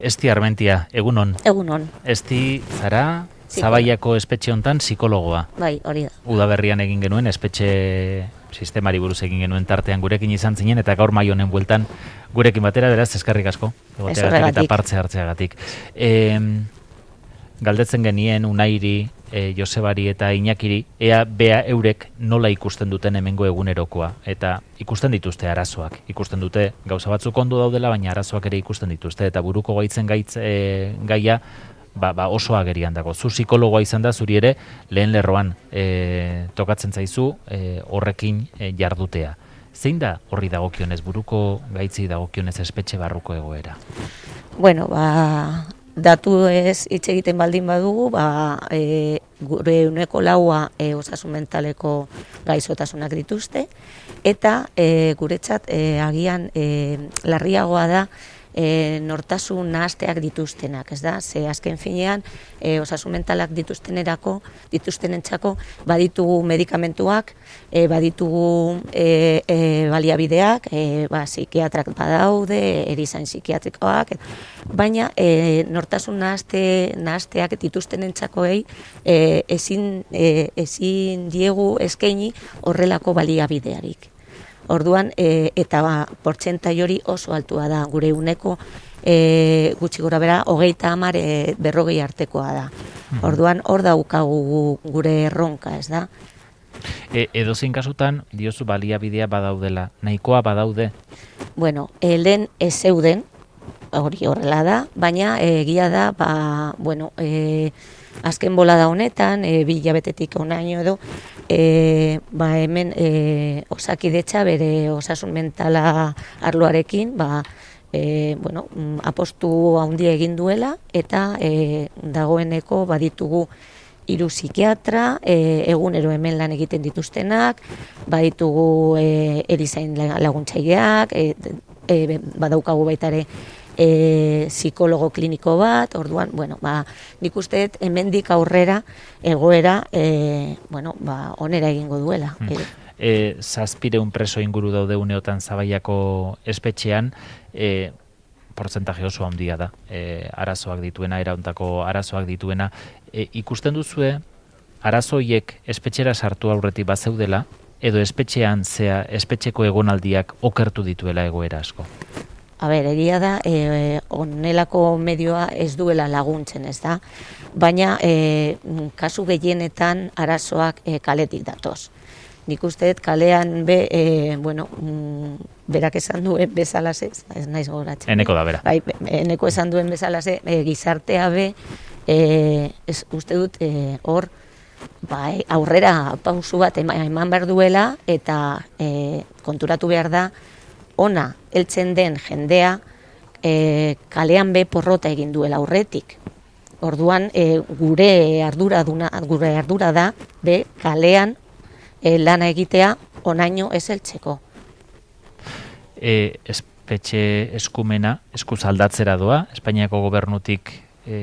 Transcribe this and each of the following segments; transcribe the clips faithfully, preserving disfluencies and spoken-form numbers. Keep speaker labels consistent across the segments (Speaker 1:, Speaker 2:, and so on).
Speaker 1: Esti Armentia, egunon.
Speaker 2: Egunon.
Speaker 1: Esti zara Zabaiako espetxe hontan psikologoa.
Speaker 2: Bai, hori da.
Speaker 1: Udaberrian egin genuen espetxe sistemari buruz egin genuen tartean gurekin izan zinen eta gaur mai honen bueltan gurekin batera, beraz eskerrik asko. Egoteagatik eta partze hartzeagatik. E, galdetzen genien Unairi, e, Josebari eta Iñakiri, ea bea eurek nola ikusten duten hemengo egunerokoa. Eta ikusten dituzte arazoak. Ikusten dute gauza batzuk ondo daudela, baina arazoak ere ikusten dituzte. Eta buruko gaitzen gaitz, e, gaia, Ba, ba oso agerian dago. Zu psikologoa izan da, zuri ere lehen lerroan e, tokatzen zaizu e, horrekin e, jardutea. Zein da horri dagokionez, buruko gaitzi dagokionez espetxe barruko egoera?
Speaker 2: Bueno, ba, datu ez hitz egiten baldin badugu, ba, e, gure uneko laua e, osasun mentaleko gaixotasunak dituzte, eta e, guretzat e, agian e, larriagoa da E, nortasun nahasteak dituztenak, ez da? Ze azken finean, e, osasun mentalak dituztenerako, dituztenentzako, baditugu medikamentuak, e, baditugu e, e, baliabideak, e, ba, psikiatrak badaude, erizain psikiatrikoak, baina e, nortasun nahaste, nahasteak dituztenentzakoei e, ezin, e, ezin diegu eskaini horrelako baliabidearik. Orduan, e, eta ba, portzentai hori oso altua da, gure uneko e, gutxi gora bera, hogeita hamar e, berrogei artekoa da. Orduan, hor daukagu gure erronka, ez da?
Speaker 1: E, edozein kasutan, diozu baliabidea badaudela, nahikoa badaude?
Speaker 2: Bueno, e, lehen ez zeuden, hori horrela da, baina egia da, ba, bueno, e, azken bolada honetan, e, bi hilabetetik honaino edo, e, ba, hemen e, Osakidetza bere osasun mentala arloarekin, ba, e, bueno, apostu handia egin duela, eta e, dagoeneko baditugu hiru psikiatra, e, egunero hemen lan egiten dituztenak, baditugu e, erizain laguntzaileak, e, e, badaukagu baita ere E, psikologo kliniko bat, orduan, bueno, ba, nik uste dut hemendik aurrera egoera, e, bueno, ba, onera egingo duela.
Speaker 1: Hmm. E, zazpireun preso inguru daude uneotan Zabaiako espetxean, e, portzentaje oso handia da, e, arazoak dituena, erauntako arazoak dituena. E, ikusten duzue, arazoiek espetxera sartu aurretik bazeudela, edo espetxean zea, espetxeko egonaldiak okertu dituela egoera asko?
Speaker 2: A ber, egia da, e, onelako medioa ez duela laguntzen, ez da? Baina, e, kasu gehienetan arazoak e, kaletik datoz. Nik uste dut kalean be, e, bueno, mm, berak esan duen bezalase, ez naiz goratzen.
Speaker 1: Eneko da, bera.
Speaker 2: Bai, eneko esan duen bezalase, e, gizartea be, e, ez, uste dut, e, hor, bai, aurrera pausu bat eman behar duela, eta e, konturatu behar da, ona heltzen den jendea e, kalean be porrota egin duela aurretik. Orduan e, gure ardura duna, gure ardura da be kalean e, lana egitea onaino ez heltzeko.
Speaker 1: E, espetxe eskumena eskuz aldatzera doa, Espainiako gobernutik e,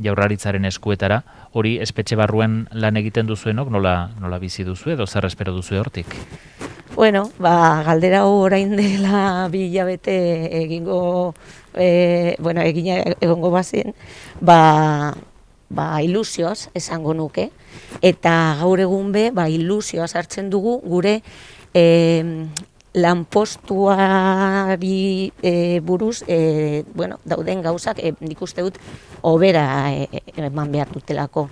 Speaker 1: Jaurlaritzaren eskuetara, hori espetxe barruen lan egiten duzuenok nola, nola bizi duzu edo zer espero duzu hortik?
Speaker 2: Bueno, ba, galdera orain dela bi hilabete egingo, e, bueno, egin egongo bazen, ba, ba, ilusioz esango nuke, eta gaur egun be, ba, ilusioa sartzen dugu gure e, lanpostuari e, buruz, e, bueno, dauden gauzak, e, nik uste dut, hobera e, eman behar dutelako.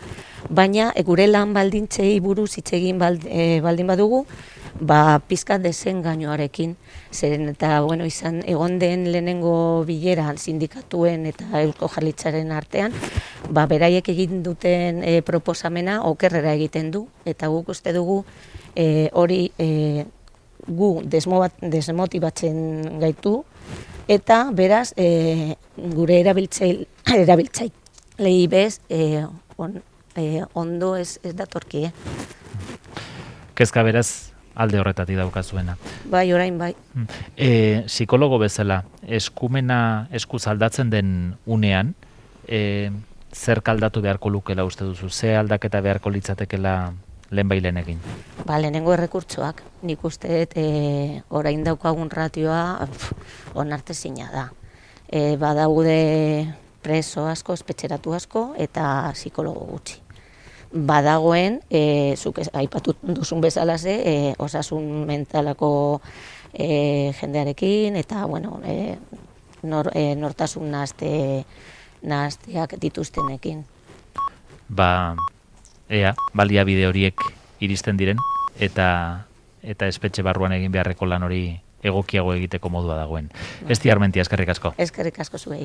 Speaker 2: Baina, e, gure lan baldintzei buruz hitz egin bald, e, baldin badugu, ba, pizkat desengainoarekin, zeren eta, bueno, izan, egon den lehenengo bileran sindikatuen eta Eusko Jaurlaritzaren artean, ba, beraiek egin duten e, proposamena okerrera egiten du, eta guk uste dugu e, hori e, gu desmotibatzen gaitu, eta beraz, e, gure erabiltzaile, erabiltzailei bez, e, on, e, ondo ez, ez datorki, eh?
Speaker 1: Kezka beraz, alde horretatik daukazuena.
Speaker 2: Bai, orain bai.
Speaker 1: E, psikologo bezala, eskumena eskuz aldatzen den unean, e, zer kaldatu beharko lukela uste duzu? Ze aldaketa beharko litzatekela lehenbailen egin?
Speaker 2: Ba, lehenengo errekurtsoak. Nik uste dut e, orain daukagun ratioa onartezina da. E, badaude preso asko, espetxeratu asko, eta psikologo gutxi. Badagoen, e, zuk aipatu duzun bezalaze, e, osasun mentalako e, jendearekin, eta, bueno, e, nor, e, nortasun nahazte, nahazteak dituztenekin.
Speaker 1: Ba, ea, baliabide horiek iristen diren, eta eta espetxe barruan egin beharreko lan hori egokiago egiteko modua dagoen. Esti Armentia, eskerrik asko.
Speaker 2: Eskerrik asko zuei.